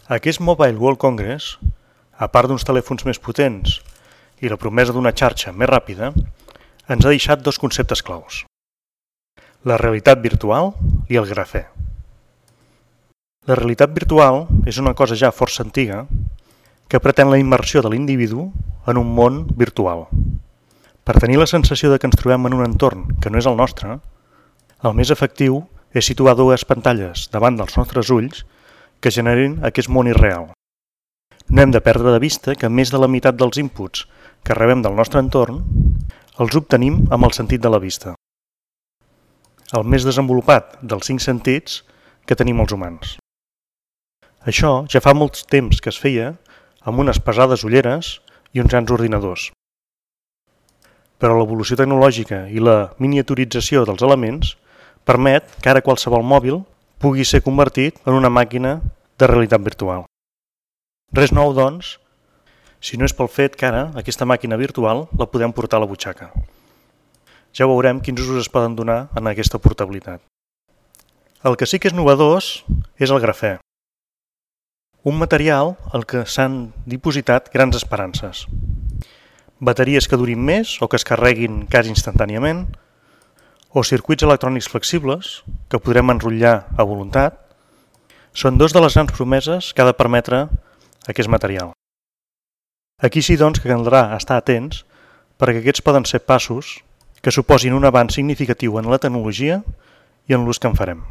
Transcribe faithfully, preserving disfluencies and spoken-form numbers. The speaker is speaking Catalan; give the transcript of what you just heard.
Aquest Mobile World Congress, a part d'uns telèfons més potents i la promesa d'una xarxa més ràpida, ens ha deixat dos conceptes claus: la realitat virtual i el grafè. La realitat virtual és una cosa ja força antiga que pretén la immersió de l'individu en un món virtual. Per tenir la sensació de que ens trobem en un entorn que no és el nostre, el més efectiu és situar dues pantalles davant dels nostres ulls que generin aquest món irreal. No hem de perdre de vista que més de la meitat dels inputs que rebem del nostre entorn els obtenim amb el sentit de la vista, el més desenvolupat dels cinc sentits que tenim els humans. Això ja fa molt temps que es feia amb unes pesades ulleres i uns grans ordinadors. Però l'evolució tecnològica i la miniaturització dels elements permet que ara qualsevol mòbil pugui ser convertit en una màquina de realitat virtual. Res nou, doncs, si no és pel fet que ara aquesta màquina virtual la podem portar a la butxaca. Ja veurem quins usos es poden donar en aquesta portabilitat. El que sí que és novedós és el grafè, un material al que s'han dipositat grans esperances. Bateries que durin més o que es carreguin quasi instantàniament, o circuits electrònics flexibles que podrem enrotllar a voluntat, són dos de les grans promeses que ha de permetre aquest material. Aquí sí, doncs, que caldrà estar atents perquè aquests poden ser passos que suposin un avanç significatiu en la tecnologia i en l'ús que en farem.